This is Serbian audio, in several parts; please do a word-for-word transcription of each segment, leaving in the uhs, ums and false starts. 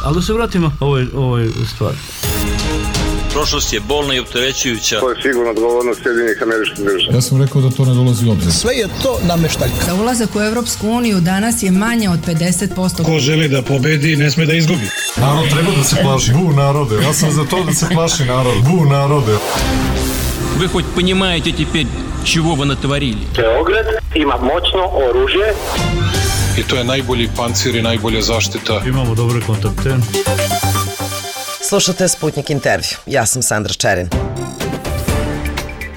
Ali da se vratimo ovoj, ovoj stvari. Prošlost je bolna i opterećujuća. To je sigurno odgovornost Sjedinjenih Američkih Država. Ja sam rekao da to ne dolazi u obzir. Sve je to nameštaljka. Za ulazak u Evropsku uniju danas je manje od pedeset posto. Ko želi da pobedi, ne sme da izgubi. Narod treba da se plaši. Bu narode. Ja sam za to da se plaši narod. Bu narode. Вы хоть понимаете теперь, чего вы натворили? Beograd ima moćno oružje. I to je najbolji pancir i najbolja zaštita. Imamo dobre kontakte. Slušate Sputnik intervju. Ja sam Sandra Čerin.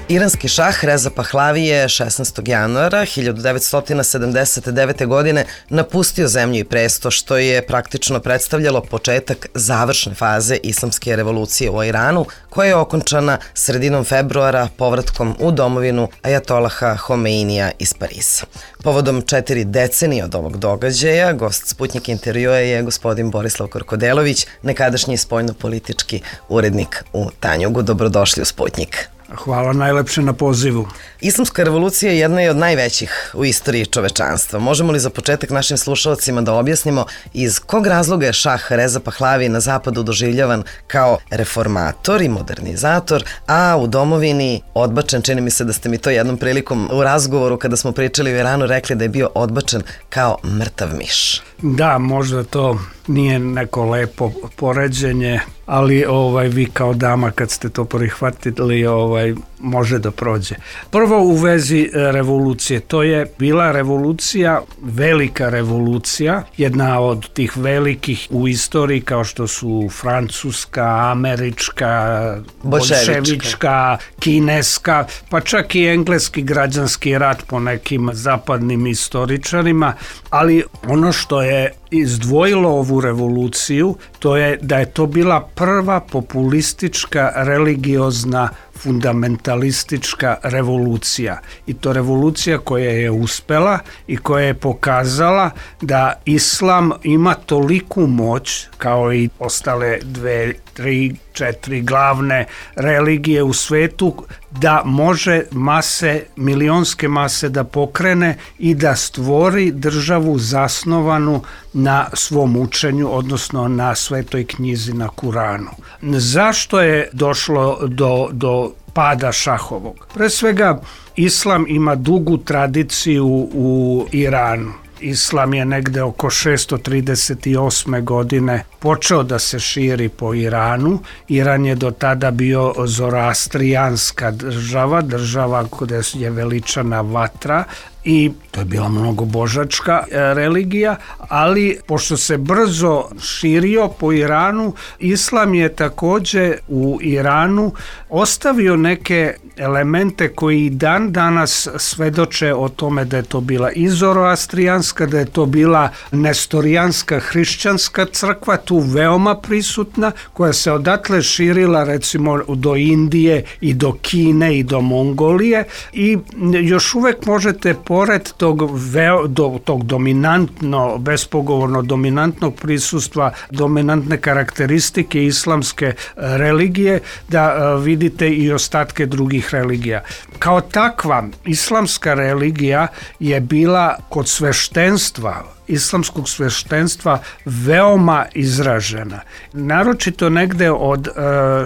Iranski šah Reza Pahlavi je šesnaestog januara hiljadu devetsto sedamdeset devete. godine napustio zemlju i presto, što je praktično predstavljalo početak završne faze islamske revolucije u Iranu, koja je okončana sredinom februara povratkom u domovinu ajatolaha Homeinija iz Pariza. Povodom četiri decenije od ovog događaja, gost Sputnik intervjua je gospodin Borislav Korkodelović, nekadašnji spoljnopolitički urednik u Tanjugu. Dobrodošli u Sputnik. Hvala najlepše na pozivu. Islamska revolucija je jedna od najvećih u istoriji čovečanstva. Možemo li za početak našim slušalcima da objasnimo iz kog razloga je šah Reza Pahlavi na zapadu doživljavan kao reformator i modernizator, a u domovini odbačen, čini mi se da ste mi to jednom prilikom u razgovoru kada smo pričali o Iranu rekli da je bio odbačen kao mrtav miš. Da, možda to nije neko lepo poređenje, ali ovaj vi kao dama kad ste to prihvatili ovaj može da prođe. Prvo u vezi revolucije, to je bila revolucija, velika revolucija, jedna od tih velikih u istoriji kao što su francuska, američka, bolševička, kineska, pa čak i engleski građanski rat po nekim zapadnim istoričarima, ali ono što je izdvojilo ovu revoluciju, to je da je to bila prva populistička, religiozna, fundamentalistička revolucija. I to revolucija koja je uspela i koja je pokazala da islam ima toliku moć kao i ostale dve, tri, četiri glavne religije u svetu da može mase, milionske mase da pokrene i da stvori državu zasnovanu na svom učenju, odnosno na Svetoj knjizi, na Kuranu. Zašto je došlo do, do pada šahovog? Pre svega, islam ima dugu tradiciju u Iranu. Islam je negde oko šesto trideset osme. godine počeo da se širi po Iranu. Iran je do tada bio zoroastrijanska država, država gde je veličana vatra i to je bila mnogobožačka religija, ali pošto se brzo širio po Iranu, islam je takođe u Iranu ostavio neke elemente koji dan danas svedoče o tome da je to bila i zoroastrijanska, da je to bila nestorijanska hrišćanska crkva, tu veoma prisutna, koja se odatle širila recimo do Indije i do Kine i do Mongolije i još uvek možete pored tog, veo, do, tog dominantno, bespogovorno dominantnog prisustva, dominantne karakteristike islamske religije, da vidite i ostatke drugih religija. Kao takva, islamska religija je bila kod sveštenstva, islamskog sveštenstva veoma izražena. Naročito negde od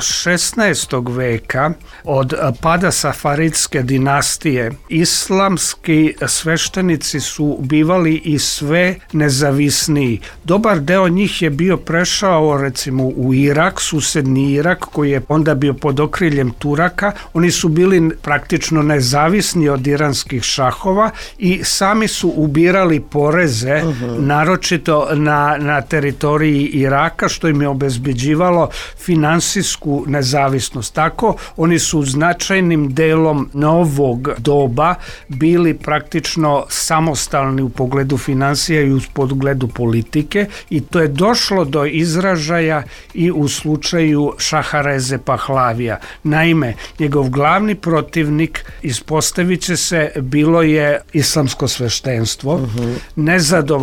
šesnaestog veka, od pada safaridske dinastije, islamski sveštenici su bivali i sve nezavisniji. Dobar deo njih je bio prešao recimo u Irak, susedni Irak, koji je onda bio pod okriljem Turaka. Oni su bili praktično nezavisni od iranskih šahova i sami su ubirali poreze naročito na, na teritoriji Iraka, što im je obezbeđivalo finansijsku nezavisnost. Tako, oni su značajnim delom novog doba bili praktično samostalni u pogledu finansija i u pogledu politike i to je došlo do izražaja i u slučaju šaha Reze Pahlavija. Naime, njegov glavni protivnik, ispostavit će se, bilo je islamsko sveštenstvo, uh-huh. nezadovoljno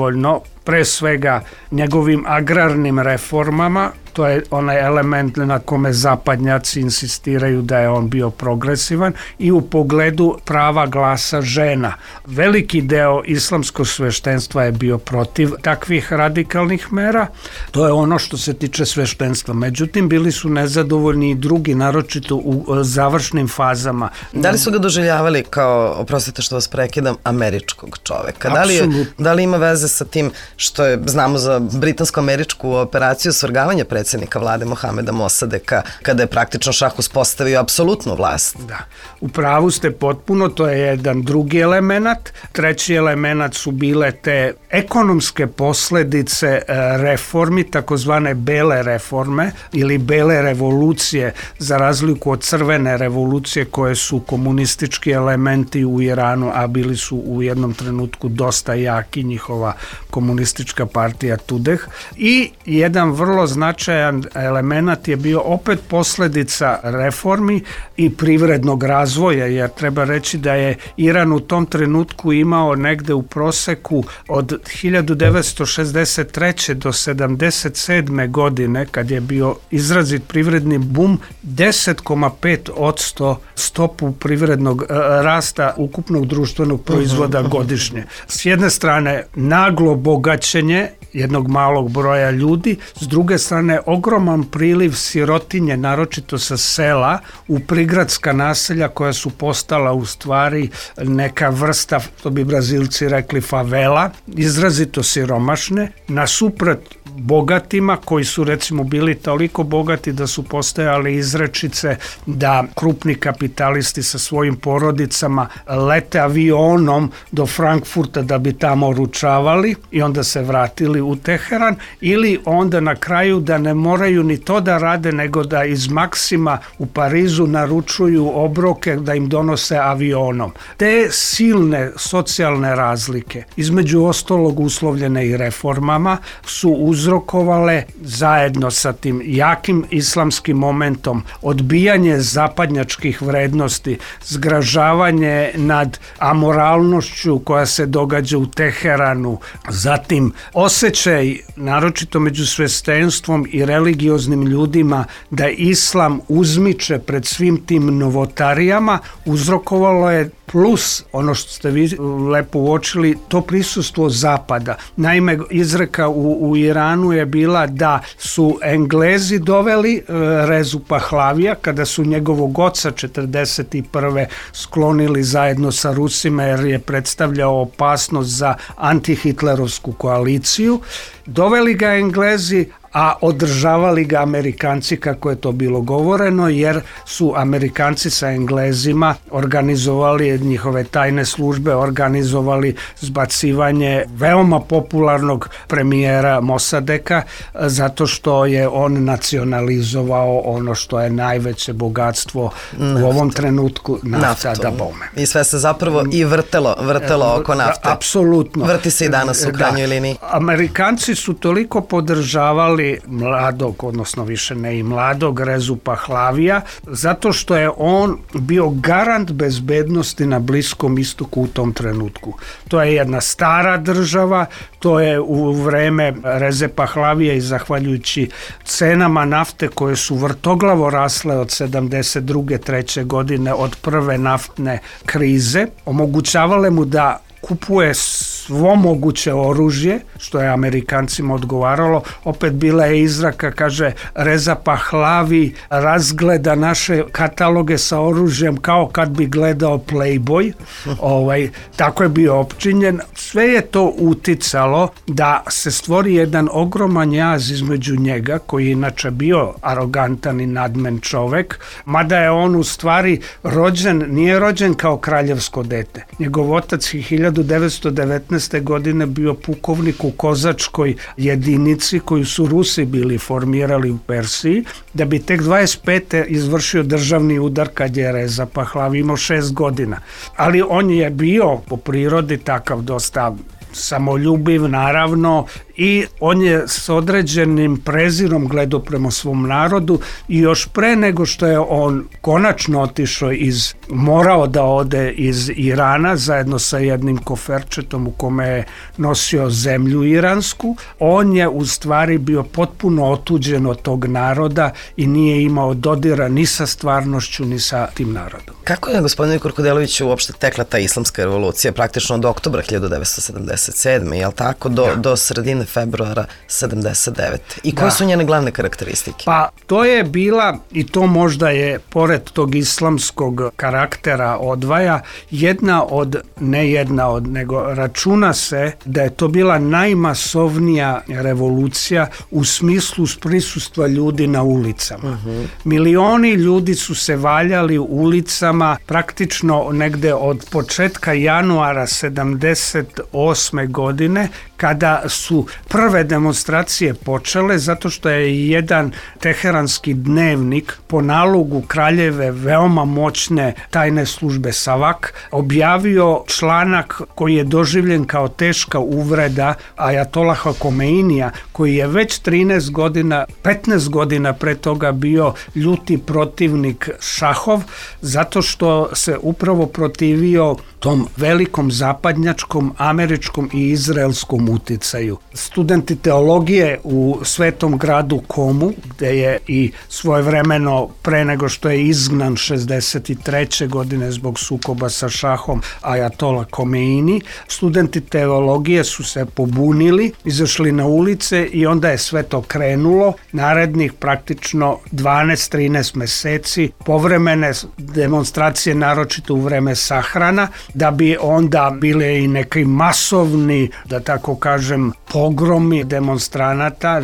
pre svega njegovim agrarnim reformama, to je onaj element na kome zapadnjaci insistiraju da je on bio progresivan, i u pogledu prava glasa žena. Veliki deo islamskog sveštenstva je bio protiv takvih radikalnih mera. To je ono što se tiče sveštenstva. Međutim, bili su nezadovoljni i drugi, naročito u završnim fazama. Da li su ga doživljavali kao, oprostite što vas prekidam, američkog čoveka? Da li, je, da li ima veze sa tim što je, znamo za britansko-američku operaciju svrgavanja predsjednika vlade Mohameda Mosadeka, kada je praktično šah uspostavio apsolutnu vlast? Da, u pravu ste potpuno, to je jedan drugi element. Treći element su bile te ekonomske posledice reformi, takozvane bele reforme ili bele revolucije, za razliku od crvene revolucije koje su komunistički elementi u Iranu, a bili su u jednom trenutku dosta jaki, njihova komunistička partija Tudeh. I jedan vrlo značajan element je bio opet posledica reformi i privrednog razvoja, jer treba reći da je Iran u tom trenutku imao negde u proseku od hiljadu devetsto šezdeset treće do sedamdeset sedme godine, kad je bio izrazit privredni bum, deset zarez pet posto stopu privrednog rasta ukupnog društvenog proizvoda godišnje. S jedne strane naglo bogaćenje jednog malog broja ljudi, s druge strane ogroman priliv sirotinje, naročito sa sela, u prigradska naselja koja su postala u stvari neka vrsta, to bi Brazilci rekli, favela, izrazito siromašne, nasuprot bogatima koji su recimo bili toliko bogati da su postojale izrečice da krupni kapitalisti sa svojim porodicama lete avionom do Frankfurta da bi tamo ručavali i onda se vratili u Teheran, ili onda na kraju da ne moraju ni to da rade, nego da iz Maksima u Parizu naručuju obroke da im donose avionom. Te silne socijalne razlike, između ostalog uslovljene i reformama, su uzrokovale zajedno sa tim jakim islamskim momentom odbijanje zapadnjačkih vrednosti, zgražavanje nad amoralnošću koja se događa u Teheranu, zatim osjećaj, naročito među sveštenstvom i religioznim ljudima, da islam uzmiče pred svim tim novotarijama, uzrokovalo je plus, ono što ste vi lepo uočili, to prisustvo zapada. Naime, izreka u, u Iranu je bila da su Englezi doveli e, Rezu Pahlavija kada su njegovog oca četrdeset prve sklonili zajedno sa Rusima, jer je predstavljao opasnost za antihitlerovsku koaliciju. Doveli ga Englezi, a održavali ga Amerikanci, kako je to bilo govoreno, jer su Amerikanci sa Englezima organizovali, njihove tajne službe organizovali zbacivanje veoma popularnog premijera Mosadeka, zato što je on nacionalizovao ono što je najveće bogatstvo naftu. U ovom trenutku, nafta da bome. I sve se zapravo i vrtelo, vrtelo oko nafte. Apsolutno. Vrti se i danas u krajnjoj liniji. Amerikanci su toliko podržavali mladog, odnosno više ne i mladog, Rezu Pahlavija, zato što je on bio garant bezbednosti na Bliskom istoku u tom trenutku. To je jedna stara država, to je u vreme Reze Pahlavija i zahvaljujući cenama nafte koje su vrtoglavo rasle od sedamdeset druge treće godine, od prve naftne krize, omogućavale mu da kupuje svo moguće oružje, što je Amerikancima odgovaralo. Opet bila je izraka, kaže, Reza Pahlavi razgleda naše kataloge sa oružjem kao kad bi gledao Playboy. Ovaj, tako je bio opčinjen. Sve je to uticalo da se stvori jedan ogroman jaz između njega, koji je inače bio arogantan i nadmen čovek, mada je on u stvari rođen, nije rođen kao kraljevsko dete. Njegov otac je hiljadu devetsto devetnaeste. godine bio pukovnik u kozačkoj jedinici koju su Rusi bili formirali u Persiji, da bi tek dvadeset pete izvršio državni udar kad je Reza Pahlavi imao šest godina. Ali on je bio po prirodi takav dosta samoljubiv, naravno, i on je s određenim prezirom gledao prema svom narodu i još pre nego što je on konačno otišao iz, morao da ode iz Irana zajedno sa jednim koferčetom u kome je nosio zemlju iransku, on je u stvari bio potpuno otuđen od tog naroda i nije imao dodira ni sa stvarnošću ni sa tim narodom. Kako je, gospodine Kurkodeloviću, uopšte tekla ta islamska revolucija praktično od oktobra hiljadu devetsto sedamdeset sedme, je li tako, do, do sredine februara sedamdeset devete. I koje da. su njene glavne karakteristike? Pa to je bila, i to možda je pored tog islamskog karaktera odvaja, jedna od, ne jedna od, nego računa se da je to bila najmasovnija revolucija u smislu prisustva ljudi na ulicama. Uh-huh. Milioni ljudi su se valjali u ulicama praktično negde od početka januara sedamdeset osme godine, kada su prve demonstracije počele, zato što je jedan teheranski dnevnik po nalogu kraljeve veoma moćne tajne službe Savak objavio članak koji je doživljen kao teška uvreda ajatolaha Komeinija, koji je već trinaest godina, petnaest godina pre toga bio ljuti protivnik šahov, zato što se upravo protivio tom velikom zapadnjačkom, američkom i izraelskom uticaju. Studenti teologije u svetom gradu Komu, gde je i svojevremeno pre nego što je izgnan šezdeset treće godine zbog sukoba sa šahom ajatola Komeini, studenti teologije su se pobunili, izašli na ulice i onda je sve to krenulo. Narednih praktično dvanaest trinaest meseci povremene demonstracije, naročito u vreme sahrana, da bi onda bile i neki masovni, da tako kažem, pogromi demonstranata,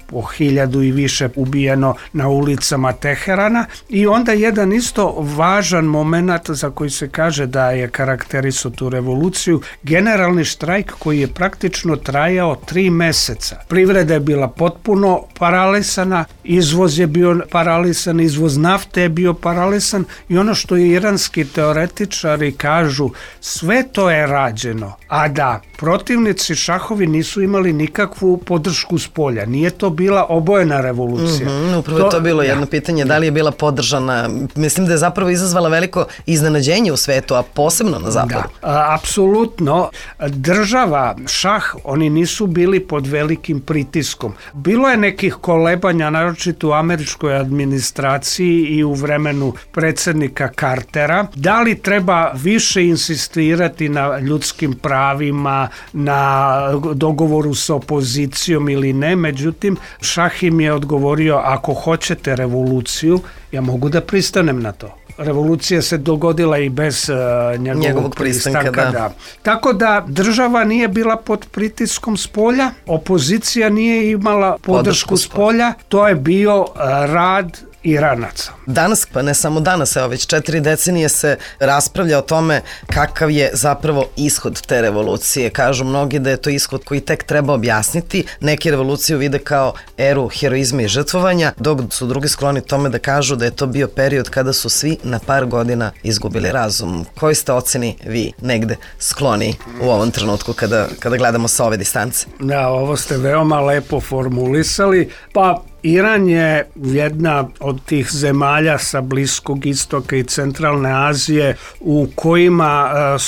po hiljadu i više ubijeno na ulicama Teherana, i onda jedan isto važan moment za koji se kaže da je karakterisao tu revoluciju, generalni štrajk koji je praktično trajao tri meseca. Privreda je bila potpuno paralisana, izvoz je bio paralisan, izvoz nafte je bio paralisan i ono što je iranski teoretičari kažu, sve to je rađeno, a da protivnici šahovi nisu imali nikakvu podršku s polja. Nije to bila obojena revolucija. Mm-hmm, upravo je to bilo jedno ja. pitanje, da li je bila podržana. Mislim da je zapravo izazvala veliko iznenađenje u svetu, a posebno na zapadu. Da, a, apsolutno. Država, šah, oni nisu bili pod velikim pritiskom. Bilo je nekih kolebanja, naročito u američkoj administraciji i u vremenu predsjednika Cartera. Da li treba više insistirati na ljudskim pravima, na dogovoru sa opozicijom ili ne, međutim, šah im je odgovorio, ako hoćete revoluciju, ja mogu da pristanem na to. Revolucija se dogodila i bez uh, njegovog, njegovog pristanka. pristanka da. Da. Tako da država nije bila pod pritiskom s polja, opozicija nije imala podršku s polja, to je bio uh, rad Iranaca. Danas, pa ne samo danas, evo već četiri decenije se raspravlja o tome kakav je zapravo ishod te revolucije. Kažu mnogi da je to ishod koji tek treba objasniti. Neki revoluciju vide kao eru heroizma i žrtvovanja, dok su drugi skloni tome da kažu da je to bio period kada su svi na par godina izgubili razum. Koji ste oceni vi negde skloni u ovom trenutku kada, kada gledamo sa ove distance? Da, ovo ste veoma lepo formulisali. Pa Iran je jedna od tih zemalja sa Bliskog istoka i centralne Azije u kojima uh,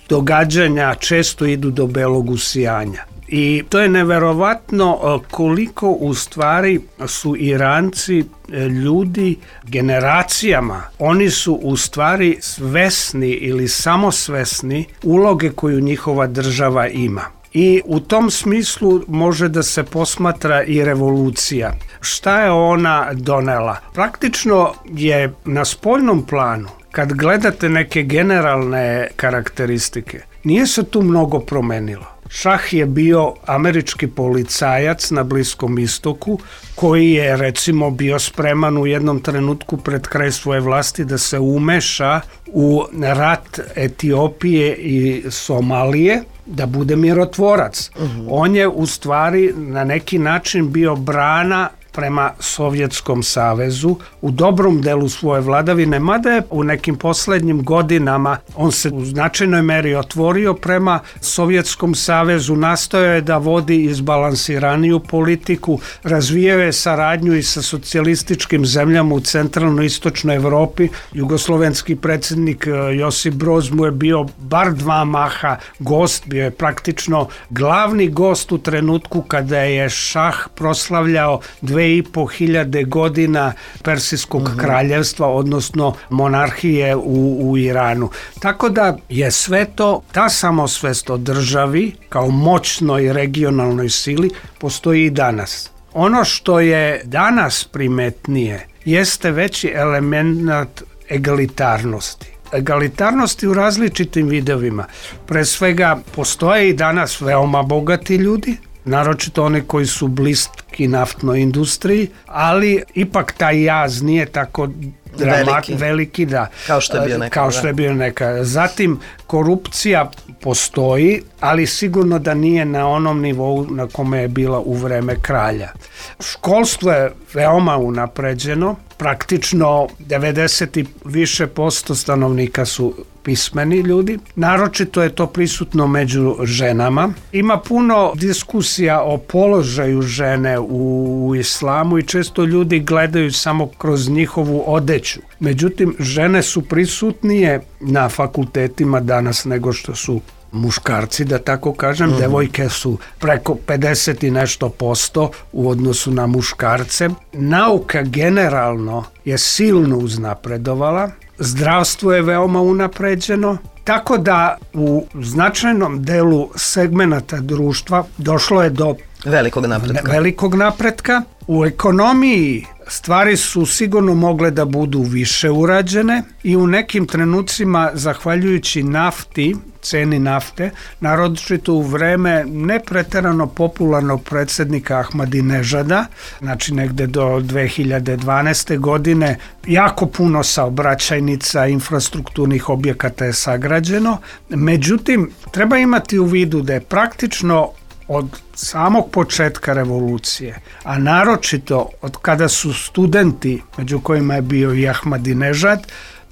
događanja često idu do belog usijanja. I to je neverovatno koliko u stvari su Iranci ljudi generacijama. Oni su u stvari svesni ili samosvesni uloge koju njihova država ima. I u tom smislu može da se posmatra i revolucija. Šta je ona donela? Praktično je na spoljnom planu, kad gledate neke generalne karakteristike, nije se tu mnogo promenilo. Šah je bio američki policajac na Bliskom istoku koji je recimo bio spreman u jednom trenutku pred kraj svoje vlasti da se umeša u rat Etiopije i Somalije, da bude mirotvorac. Uh-huh. On je u stvari na neki način bio brana prema Sovjetskom savezu u dobrom delu svoje vladavine, mada je u nekim poslednjim godinama on se u značajnoj meri otvorio prema Sovjetskom savezu, nastojao je da vodi izbalansiraniju politiku, razvijao je saradnju i sa socijalističkim zemljama u centralno-istočnoj Evropi. Jugoslovenski predsjednik Josip Broz mu je bio bar dva maha gost, bio je praktično glavni gost u trenutku kada je šah proslavljao dve i po hiljade godina Persijskog mm-hmm. kraljevstva, odnosno monarhije u, u Iranu. Tako da je sve to, ta samosvest o državi kao moćnoj regionalnoj sili postoji i danas. Ono što je danas primetnije jeste veći element egalitarnosti. Egalitarnosti u različitim vidovima. Pre svega postoje i danas veoma bogati ljudi, naročito oni koji su bliski naftnoj industriji, ali ipak taj jaz nije tako dramat, veliki. veliki da, kao što je bio nekada. Kao što je bio nekada. Zatim, korupcija postoji, ali sigurno da nije na onom nivou na kome je bila u vreme kralja. Školstvo je veoma unapređeno, praktično devedeset i više posto stanovnika su pismeni ljudi. Naročito je to prisutno među ženama. Ima puno diskusija o položaju žene u, u islamu i često ljudi gledaju samo kroz njihovu odeću. Međutim, žene su prisutnije na fakultetima danas nego što su muškarci, da tako kažem. Mm-hmm. Devojke su preko pedeset i nešto posto u odnosu na muškarce. Nauka generalno je silno uznapredovala. Zdravstvo je veoma unapređeno, tako da u značajnom delu segmenata društva došlo je do velikog napretka. Velikog napretka. U ekonomiji stvari su sigurno mogle da budu više urađene i u nekim trenucima, zahvaljujući nafti, ceni nafte, naročito u vreme nepreterano popularnog predsjednika Ahmadinežada, znači negde do dve hiljade dvanaeste. godine, jako puno saobraćajnica, infrastrukturnih objekata je sagrađeno. Međutim, treba imati u vidu da je praktično od samog početka revolucije, a naročito od kada su studenti, među kojima je bio i Ahmadinežad,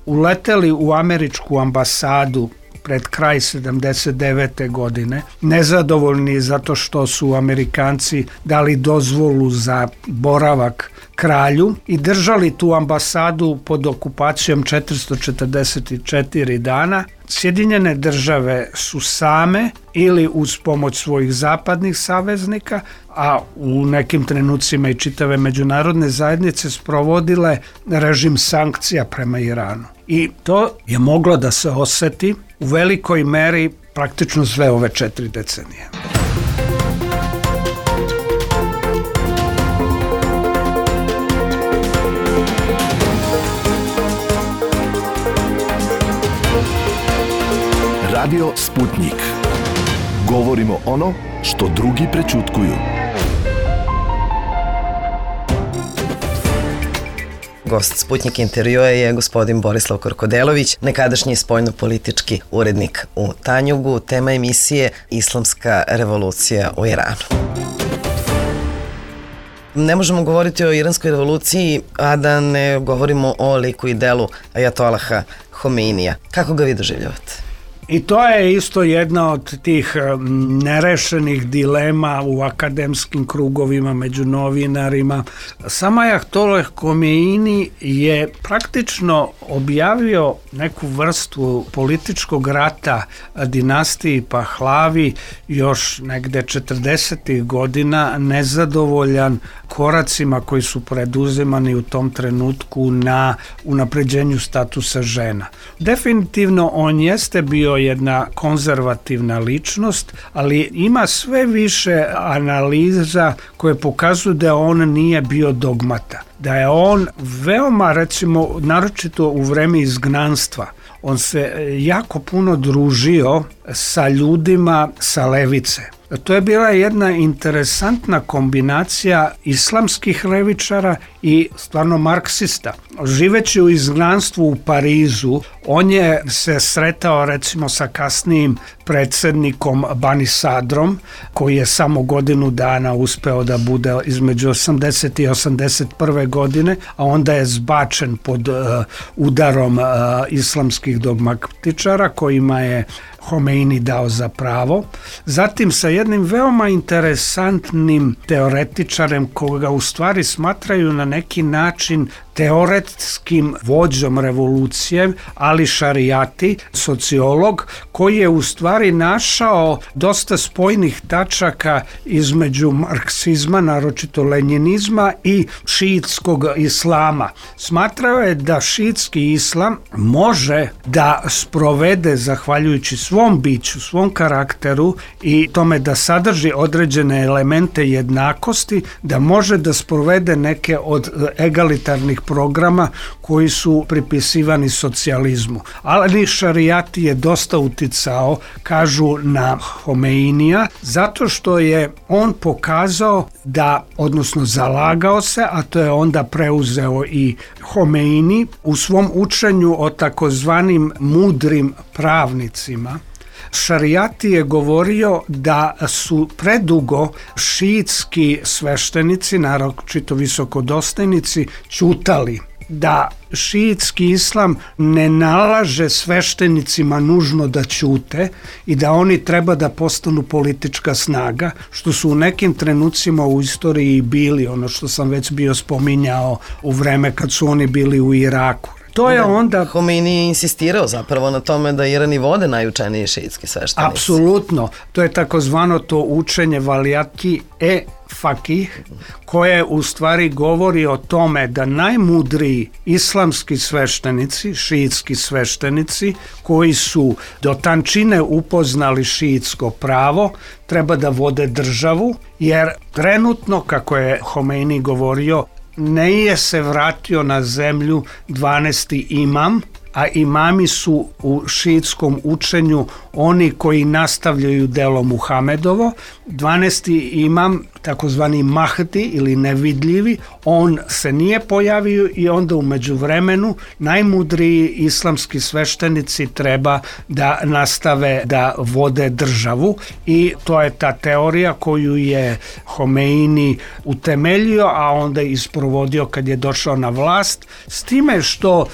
uleteli u američku ambasadu pred kraj sedamdeset devete. godine, nezadovoljni zato što su Amerikanci dali dozvolu za boravak kralju i držali tu ambasadu pod okupacijom četiristo četrdeset četiri dana. Sjedinjene države su same ili uz pomoć svojih zapadnih saveznika, a u nekim trenucima i čitave međunarodne zajednice sprovodile režim sankcija prema Iranu. I to je moglo da se oseti u velikoj meri praktično sve ove četiri decenije. Radio Sputnik. Govorimo ono što drugi prećutkuju. Gost Sputnik intervjua je gospodin Borislav Korkodelović, nekadašnji spoljnopolitički urednik u Tanjugu. Tema emisije Islamska revolucija u Iranu. Ne možemo govoriti o iranskoj revoluciji, a da ne govorimo o liku i delu ajatolaha Homeinija. Kako ga vi doživljavate? I to je isto jedna od tih nerešenih dilema u akademskim krugovima, među novinarima. Sam ajatollah Homeini je praktično objavio neku vrstu političkog rata dinastiji Pahlavi još negde četrdesetih godina, nezadovoljan koracima koji su preduzimani u tom trenutku na unapređenju statusa žena. Definitivno on jeste bio jedna konzervativna ličnost, ali ima sve više analiza koje pokazuju da on nije bio dogmata. Da je on veoma, recimo, naročito u vreme izgnanstva, on se jako puno družio sa ljudima sa levice. To je bila jedna interesantna kombinacija islamskih levičara i stvarno marksista. Živeći u izgnanstvu u Parizu, on je se sretao recimo sa kasnijim predsjednikom Banisadrom, koji je samo godinu dana uspeo da bude između osamdeset i osamdeset prve godine, a onda je zbačen pod uh, udarom uh, islamskih dogmatičara kojima je Homeini dao za pravo. Zatim sa jednim veoma interesantnim teoretičarem koga u stvari smatraju na neki način teoretskim vođom revolucije, Ali Šarijati, sociolog, koji je u stvari našao dosta spojnih tačaka između marksizma, naročito lenjinizma, i šiitskog islama. Smatrao je da šiitski islam može da sprovede, zahvaljujući svom biću, svom karakteru i tome da sadrži određene elemente jednakosti, da može da sprovede neke od egalitarnih programa koji su pripisivani socijalizmu. Ali Šarijati je dosta uticao, kažu, na Homeinija, zato što je on pokazao da, odnosno zalagao se, a to je onda preuzeo i Homeini u svom učenju o takozvanim mudrim pravnicima. Šarijati je govorio da su predugo šiitski sveštenici, naročito visokodostojnici, ćutali, da šiitski islam ne nalaže sveštenicima nužno da ćute i da oni treba da postanu politička snaga, što su u nekim trenucima u istoriji bili, ono što sam već bio spominjao u vreme kad su oni bili u Iraku. To je onda... Homeini je insistirao zapravo na tome da Iran i vode najučeniji šiitski sveštenici. Apsolutno. To je takozvano to učenje valijati e fakih, koje u stvari govori o tome da najmudriji islamski sveštenici, šiitski sveštenici, koji su do tančine upoznali šiitsko pravo, treba da vode državu, jer trenutno, kako je Homeini govorio, ne je se vratio na zemlju dvanaesti imam, a imami su u šiitskom učenju oni koji nastavljaju delo Muhamedovo. dvanaesti imam, takozvani Mahdi ili nevidljivi, on se nije pojavio i onda u međuvremenu najmudriji islamski sveštenici treba da nastave da vode državu, i to je ta teorija koju je Homeini utemeljio, a onda isprovodio kad je došao na vlast, s time što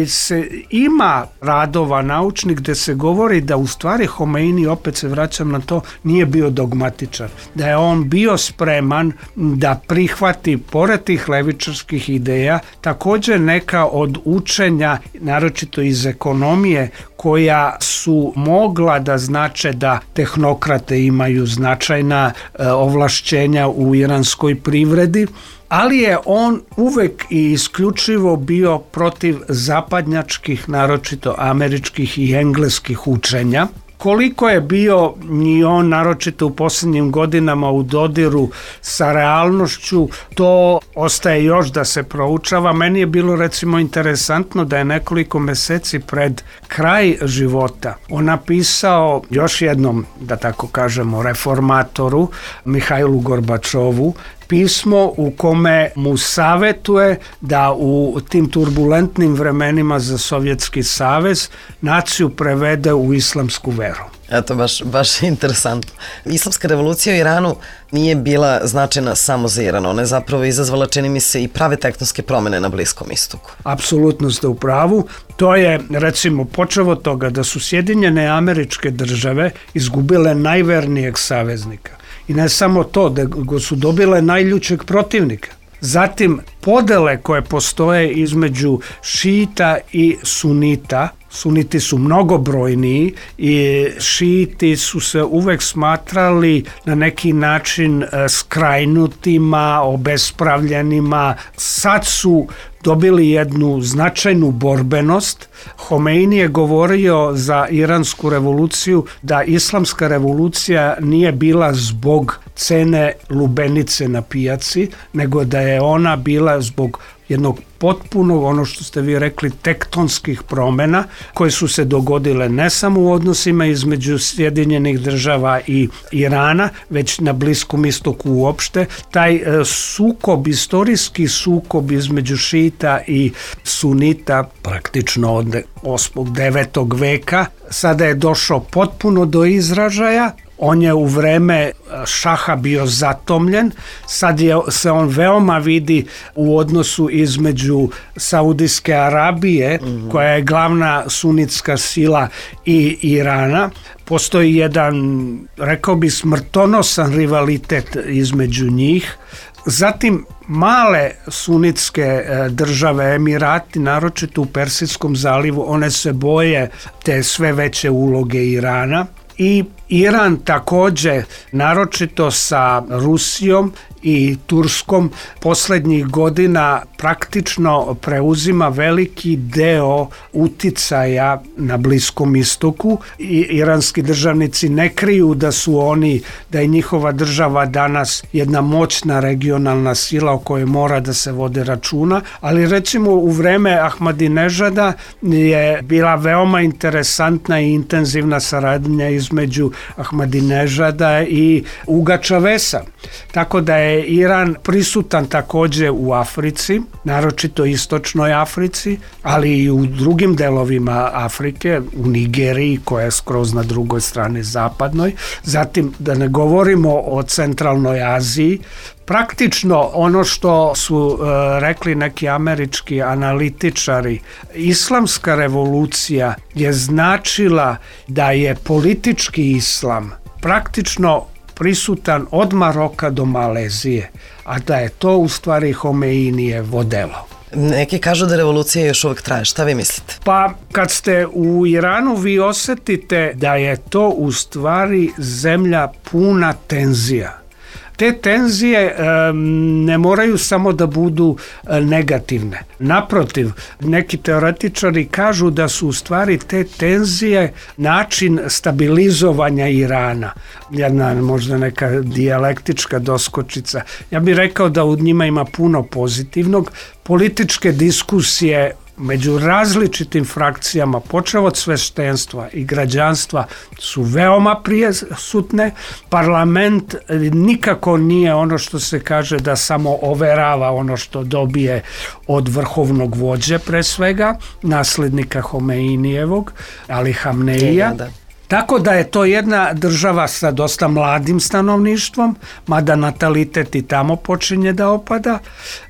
se ima radova naučnih gde se govori da u stvari Homeini, opet se vraćam na to, nije bio dogmatičar, da je on bio spreman da prihvati, pored tih levičarskih ideja, također neka od učenja, naročito iz ekonomije, koja su mogla da znače da tehnokrate imaju značajna e, ovlašćenja u iranskoj privredi, ali je on uvek i isključivo bio protiv zapadnjačkih, naročito američkih i engleskih učenja. Koliko je bio i on, naročito u posljednjim godinama, u dodiru sa realnošću, to ostaje još da se proučava. Meni je bilo recimo interesantno da je nekoliko meseci pred kraj života on napisao još jednom, da tako kažemo, reformatoru Mihajlu Gorbačovu pismo u kome mu savetuje da u tim turbulentnim vremenima za Sovjetski savez naciju prevede u islamsku veru. Eto, baš, baš interesantno. Islamska revolucija u Iranu nije bila značajna samo za Iran. Ona je zapravo izazvala, čini mi se, i prave tektonske promjene na Bliskom istoku. Apsolutno ste u pravu. To je, recimo, počeo od toga da su Sjedinjene Američke Države izgubile najvernijeg saveznika. I ne samo to, da su dobile najljućeg protivnika. Zatim, podele koje postoje između šita i sunita, suniti su mnogobrojniji i šiti su se uvek smatrali na neki način skrajnutima, obespravljenima. Sad su dobili jednu značajnu borbenost. Homeini je govorio za iransku revoluciju da islamska revolucija nije bila zbog cene lubenice na pijaci, nego da je ona bila zbog jednog potpuno, ono što ste vi rekli, tektonskih promjena koje su se dogodile ne samo u odnosima između Sjedinjenih država i Irana, već na Bliskom istoku uopšte. Taj e, sukob, istorijski sukob između šita i sunita, praktično od osmog devetog veka, sada je došao potpuno do izražaja. On je u vreme šaha bio zatomljen, sad je, se on veoma vidi u odnosu između Saudijske Arabije, mm-hmm. koja je glavna sunitska sila, i Irana. Postoji jedan, rekao bi, smrtonosan rivalitet između njih. Zatim male sunitske države, Emirati, naročito u Persijskom zalivu, one se boje te sve veće uloge Irana. I Iran također, naročito sa Rusijom i Turskom, posljednjih godina praktično preuzima veliki deo uticaja na Bliskom istoku. I iranski državnici ne kriju da su oni, da je njihova država danas jedna moćna regionalna sila o kojoj mora da se vode računa, ali recimo u vreme Ahmadinežada je bila veoma interesantna i intenzivna saradnja između Ahmadinežada i Uga Čavesa. Tako da je Iran prisutan također u Africi, naročito istočnoj Africi, ali i u drugim delovima Afrike, u Nigeriji koja je skroz na drugoj strani zapadnoj. Zatim da ne govorimo o centralnoj Aziji. Praktično ono što su uh, rekli neki američki analitičari, islamska revolucija je značila da je politički islam praktično prisutan od Maroka do Malezije, a da je to u stvari Homeinije vodelo. Neki kažu da revolucija još uvijek traje. Šta vi mislite? Pa kad ste u Iranu vi osjetite da je to u stvari zemlja puna tenzija. Te tenzije e, ne moraju samo da budu e, negativne. Naprotiv, neki teoretičari kažu da su u stvari te tenzije način stabilizovanja Irana. Jedna možda neka dijalektička doskočica. Ja bih rekao da u njima ima puno pozitivnog. Političke diskusije među različitim frakcijama, počev od sveštenstva i građanstva, su veoma prisutne. Parlament nikako nije ono što se kaže da samo overava ono što dobije od vrhovnog vođe, pre svega, naslednika Homeinijevog, Ali Hamneija. Da, da. Tako da je to jedna država sa dosta mladim stanovništvom, mada natalitet i tamo počinje da opada,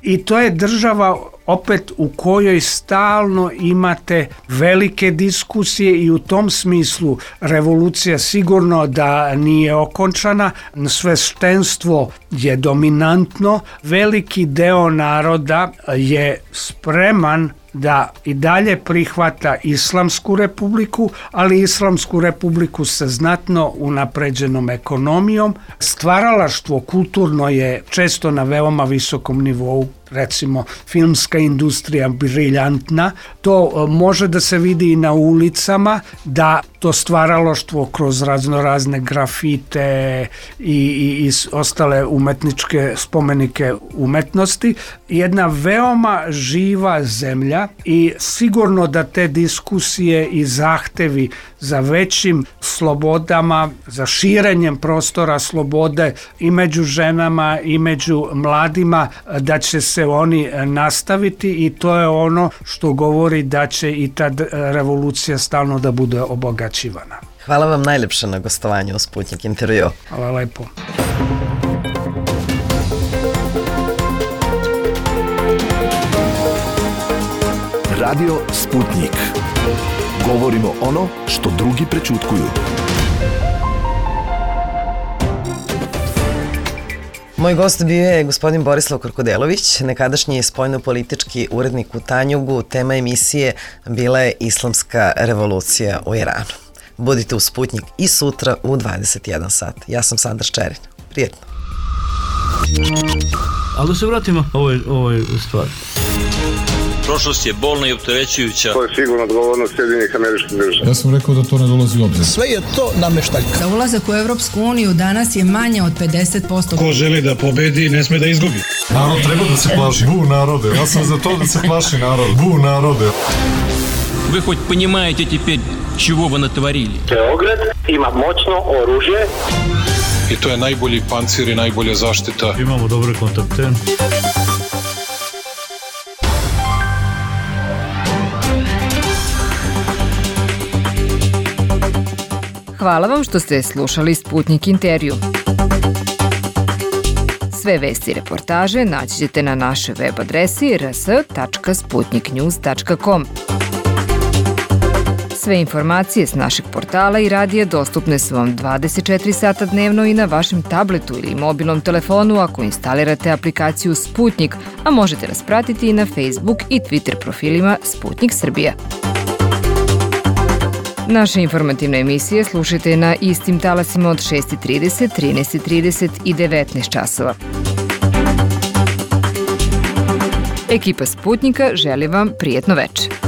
i to je država opet u kojoj stalno imate velike diskusije i u tom smislu revolucija sigurno da nije okončana, sveštenstvo je dominantno, veliki deo naroda je spreman da i dalje prihvata Islamsku republiku, ali Islamsku republiku sa znatno unapređenom ekonomijom. Stvaralaštvo kulturno je često na veoma visokom nivou, recimo filmska industrija briljantna, to može da se vidi i na ulicama, da to stvaralaštvo kroz razno razne grafite i, i, i ostale umetničke spomenike umetnosti, jedna veoma živa zemlja i sigurno da te diskusije i zahtevi za većim slobodama, za širenjem prostora slobode i među ženama i među mladima, da će se oni nastaviti, i to je ono što govori da će i ta revolucija stalno da bude obogaćivana. Hvala vam najlepše na gostovanju u Sputnik intervju. Hvala lepo. Radio Sputnik. Govorimo ono što drugi prećutkuju. Moj gost bio je gospodin Borislav Korkodelović, nekadašnji spoljnopolitički urednik u Tanjugu. Tema emisije bila je Islamska revolucija u Iranu. Budite u Sputnik i sutra u dvadeset jedan sat. Ja sam Sandra Ščerin. Prijetno. Ali da se vratimo ovoj, ovoj stvari. Prošlost je bolna i opterećujuća. To je sigurno odgovornost Sjedinjenih Američkih Država. Ja sam rekao da to ne dolazi u obzir. Sve je to nameštaljka. Za ulazak u Evropsku uniju danas je manje od pedeset posto. Ko želi da pobedi, ne sme da izgubi. Narod treba da se plaši. Bu narode. Ja sam za to da se plaši narod. Bu narode. Вы хоть понимаете теперь, чего вы натворили? Beograd ima moćno oružje. I to je najbolji pancir i najbolja zaštita. Imamo dobre kontakte. Hvala vam što ste slušali Sputnik intervju. Sve vesti i reportaže naći ćete na našoj web adresi r s tačka sputnik news tačka com. Sve informacije s našeg portala i radija dostupne su vam dvadeset četiri sata dnevno i na vašem tabletu ili mobilnom telefonu ako instalirate aplikaciju Sputnik, a možete nas pratiti i na Facebook i Twitter profilima Sputnik Srbija. Naše informativne emisije slušajte na istim talasima od šest trideset, trinaest trideset i devetnaest časova. Ekipa Sputnika želi vam prijetno veče.